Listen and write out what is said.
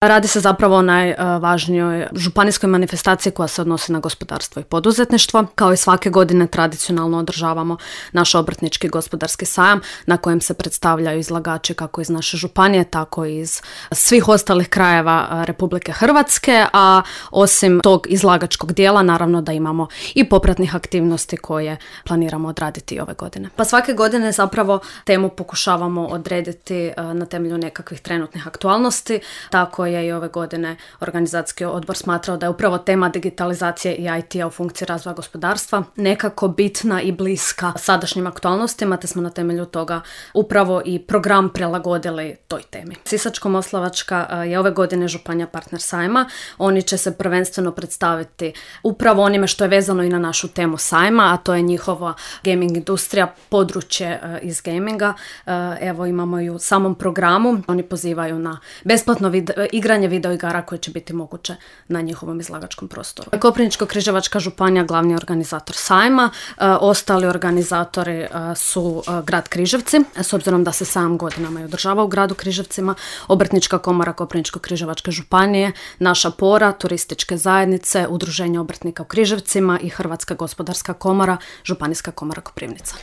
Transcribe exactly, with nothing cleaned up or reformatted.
Radi se zapravo o najvažnijoj županijskoj manifestaciji koja se odnosi na gospodarstvo i poduzetništvo. Kao i svake godine tradicionalno održavamo naš obrtnički gospodarski sajam na kojem se predstavljaju izlagači kako iz naše županije, tako i iz svih ostalih krajeva Republike Hrvatske, a osim tog izlagačkog dijela naravno da imamo i popratnih aktivnosti koje planiramo odraditi ove godine. Pa svake godine zapravo temu pokušavamo odrediti na temelju nekakvih trenutnih aktualnosti, tako je i ove godine organizacijski odbor smatrao da je upravo tema digitalizacije i I T-a u funkciji razvoja gospodarstva nekako bitna i bliska sadašnjim aktualnostima, te smo na temelju toga upravo i program prilagodili toj temi. Sisačko-moslavačka je ove godine županija partner sajma. Oni će se prvenstveno predstaviti upravo onime što je vezano i na našu temu sajma, a to je njihova gaming industrija, područje iz gaminga. Evo imamo i u samom programu. Oni pozivaju na besplatno vid- igranje video igara koje će biti moguće na njihovom izlagačkom prostoru. Koprivničko-križevačka županija glavni organizator sajma, e, ostali organizatori e, su e, grad Križevci, s obzirom da se sajam godinama i održava u gradu Križevcima, Obrtnička komora Koprivničko-križevačke županije, naša Pora, turističke zajednice, Udruženje obrtnika u Križevcima i Hrvatska gospodarska komora, Županijska komora Koprivnica.